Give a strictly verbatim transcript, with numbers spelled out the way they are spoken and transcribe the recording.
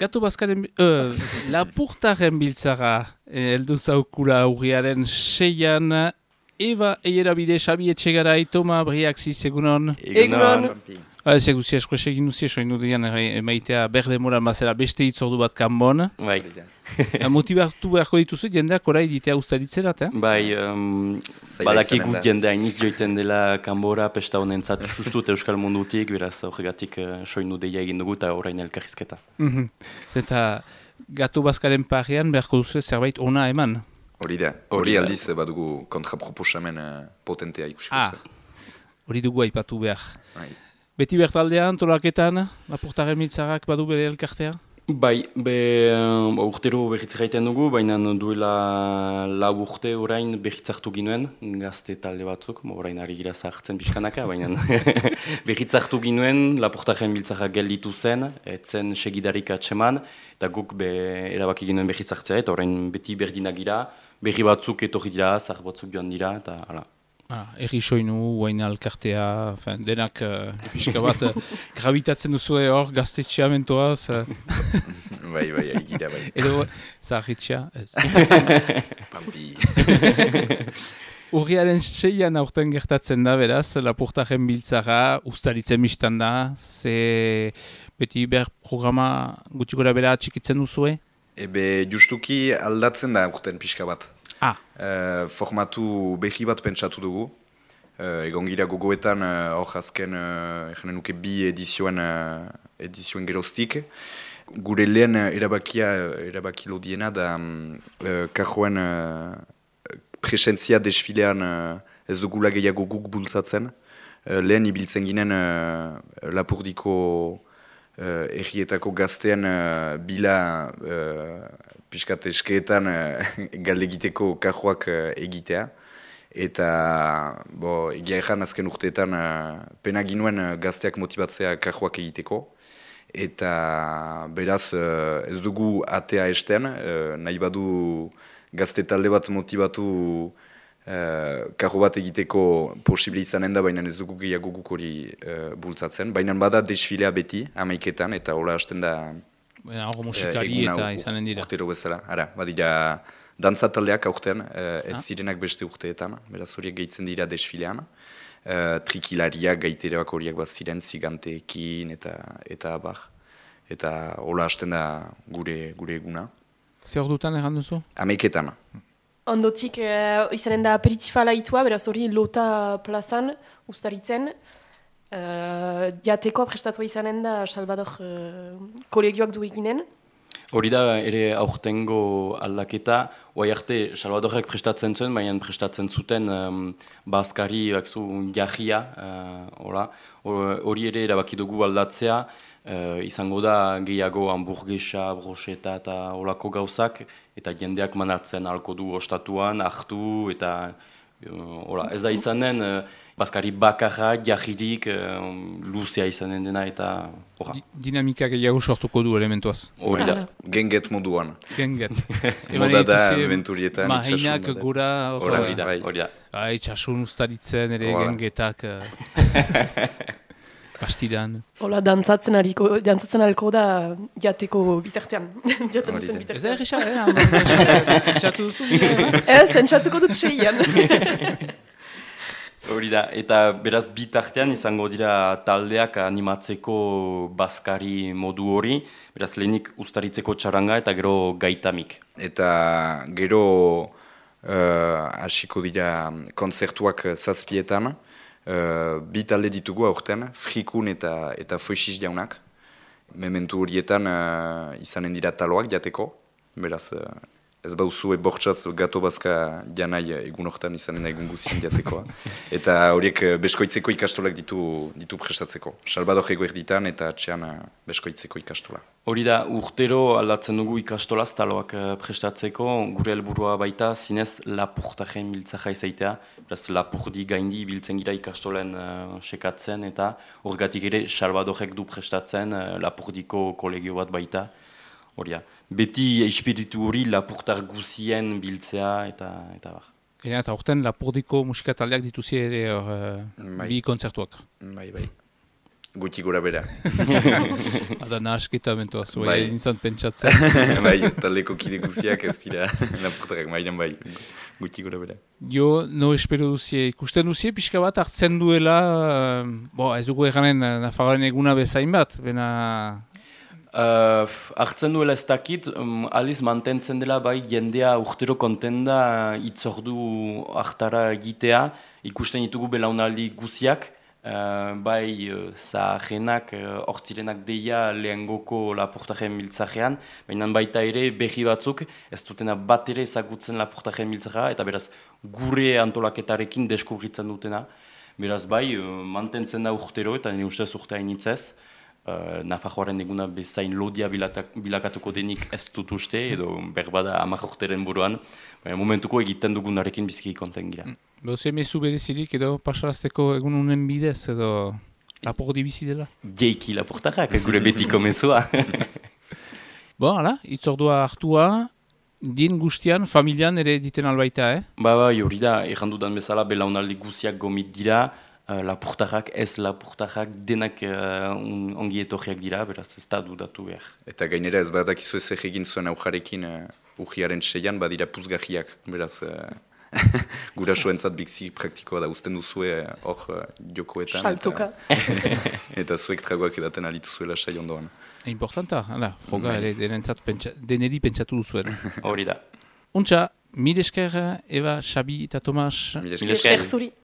Gato Baskaren, uh, Lapurtaren biltzara, heldu zaukula urriaren seian, Eva Eierabide, Xabi Etxegarai, Toma Briaxi, egunon. Egunon. Ezek duzia eskuese egin duzia, soin dudian emaitea berde moral mazera beste hitzordu bat kanbon. Bai. Motibatu beharko dituzu, jendeak orai ditea ustaritzerat, eh? Bai, um, badakigu jendea inik joiten dela kanbora, pesta honentzat sustut euskal mundutik, beraz horregatik uh, soinu deia egin dugu eta orain elkarrizketa. Mm-hmm. Eta Gato Baskaren parean beharko duzu zerbait ona eman? Hori da, hori aldiz badugu kontraproposamen uh, potentea ikusiko ah, zer. Hori dugu aipatu behar. Bai. Beti bertaldean, tolaketan, Lapurtaren biltzarak badu bere elkartea? Bai, be, um, urtero berriz gaiten dugu, baina duela lau urte orain berritzartu ginuen, gazte talde batzuk, orain ari gira zahartzen pixkanaka, baina berritzartu ginuen, Lapurtaren biltzara gelditu zen, etzen segidarik atseman, eta guk be, erabaki ginuen berritzartzea, eta orain beti berdinak gira, berri batzuk etorri dira, zahar batzuk joan dira, eta hala. Ah, erri soinu, guain alkartea, fin, denak uh, pixka bat uh, gravitatzen duzue hor gaztetxea mentoaz. Uh. bai, bai, egira, bai. Edo, zaharritxea, ez. Pampi. Urriaren seian aurten gertatzen da, beraz, Lapurtaren biltzara, ustaritzen biztan da, ze beti ber programa gutxi gora bera txikitzen duzue? Ebe justuki aldatzen da aurten pixka bat. Ah. Uh, formatu behi bat pentsatu dugu. Uh, egon gira gogoetan hor uh, azken uh, nuke bi edizioen, uh, edizioen geroztik. Gure lehen uh, erabakia, erabaki lodiena da um, uh, kajoen uh, presentzia desfilean uh, ez dugula gehiago guk bultzatzen. Uh, lehen ibiltzen ginen uh, Lapurdiko uh, errietako gaztean uh, bila uh, piskat eskeetan uh, galdegiteko kajoak uh, egitea. Eta, bo, egia ezan azken urteetan uh, pena ginuen uh, gazteak motibatzea kajoak egiteko. Eta beraz uh, ez dugu atea esten, uh, nahi badu gazte talde bat motibatu uh, kajo bat egiteko posible izanen da, baina ez dugu gehiago guk hori uh, bultzatzen. Baina bada desfilea beti, amaiketan, eta hola hasten da... Hor musikari eta izanen dira. Urtero bezala, ara, badira dantza taldeak aurten, uh, ez zirenak beste urteetan, beraz horiek gehitzen dira desfilean. Uh, trikilariak, gaiteroak horiek bat ziren, ziganteekin eta eta abar. Eta hola hasten da gure, gure eguna. Ze hor dutan erran duzu? Amaiketan. Ondotik uh, izanen da aperitifa laitua, beraz hori lota plazan, ustaritzen. Uh, jateko prestatua izanen da Salvador uh, kolegioak du eginen. Hori da ere aurtengo aldaketa, oai arte Salvadorek prestatzen zuen, baina prestatzen zuten um, bazkari bakzu jahia, uh, hori ere erabaki dugu aldatzea, uh, izango da gehiago hamburguesa, brocheta eta olako gauzak, eta jendeak manatzen halko du ostatuan, hartu, eta uh, ola, ez da izanen, uh, bazkari bakarra, jahirik, um, luzea izanen dena eta horra. Di, dinamika gehiago sortuko du elementuaz. Hori da. Genget moduan. Genget. Moda da aventurietan, itxasun. Mahainak gura, hori da. Hori da. Ah, itxasun ustaritzen ere Hora. gengetak. Uh, Bastidan. Hola, dantzatzen hariko, dantzatzen alko da jateko bitartean. Jaten duzen Ez bitartean. da erresa, eh? Txatu duzu? Ez, entzatuko dut seian. Hori da, eta beraz bitartean izango dira taldeak animatzeko bazkari modu hori, beraz lehenik ustaritzeko txaranga eta gero gaitamik. Eta gero hasiko uh, dira kontzertuak zazpietan, uh, bi talde ditugu aurten, Frikun eta, eta Foixiz jaunak. Mementu horietan uh, izanen dira taloak jateko, beraz... Uh, Ez bauzue bortxaz Gato Baska janai egun hortan izanen egun guzien jatekoa. Eta horiek beskoitzeko ikastolak ditu, ditu prestatzeko. Salvador eguerditan eta atxean beskoitzeko ikastola. Hori da, urtero aldatzen dugu ikastolaz taloak prestatzeko, gure helburua baita zinez Lapurtaren biltzara izaitea. Beraz, Lapurdi gaindi biltzen gira ikastolen uh, sekatzen eta horregatik ere Salvadorek du prestatzen uh, Lapurdiko kolegio bat baita. Hori da. Beti espiritu hori Lapurtar guzien biltzea eta eta bar. Eta eta urten Lapurdiko musikataldeak dituzi ere uh, Bai. bi kontzertuak. Bai, bai. Guti gora bera. Ada nahasketa mentua zuen, Bai. nintzen pentsatzen. Bai, taldeko kide guziak ez dira lapurtarrak, mailan bai, guti gora bera. Jo, no espero duzie, ikusten duzie, pixka bat hartzen duela, uh, bo, ez dugu eganen Nafarroaren eguna bezain bat, bena... Uh, hartzen duela ez dakit, um, aliz mantentzen dela bai jendea urtero konten da itzordu hartara egitea, ikusten ditugu belaunaldi guziak, uh, bai uh, zaharenak, hortzirenak uh, deia lehengoko laportaren miltzajean, baina baita ere behi batzuk ez dutena bat ere ezagutzen laportaren miltzaja, eta beraz gure antolaketarekin deskubritzen dutena, beraz bai uh, mantentzen da urtero, eta nire ustez urtea initzez, Uh, Nafarroaren eguna bezain lodia bilatak, bilakatuko denik ez dut uste, edo berbada hamar urteren buruan, baina momentuko egiten dugunarekin biziki konten gira. Bauze mezu berezirik edo pasarazteko egun unen bidez edo lapordi bizi dela? Jeiki laportarrak, gure betiko mezua. Bo, hala, itzordua hartua, din guztian, familian ere diten albaita, eh? Ba, ba, hori da, errandudan bezala belaunaldi guziak gomit dira, Uh, lapurtarrak, ez lapurtarrak, denak uh, on, ongi etorriak dira, beraz ez da dudatu behar. Eta gainera ez badakizu ez egin zuen aujarekin uh, urriaren seian badira puzgahiak, beraz uh, gurasoentzat biksi praktikoa da usten duzue hor uh, jokoetan. Saltoka. Eta, eta zuek tragoak edaten alitu zuela sai ondoan. Importanta, hala, froga ere denentzat pentsa, deneri pentsatu duzuen. Hori da. Untxa, mil esker, Eva, Xabi eta Tomas. Mil Mil esker. esker. Zuri.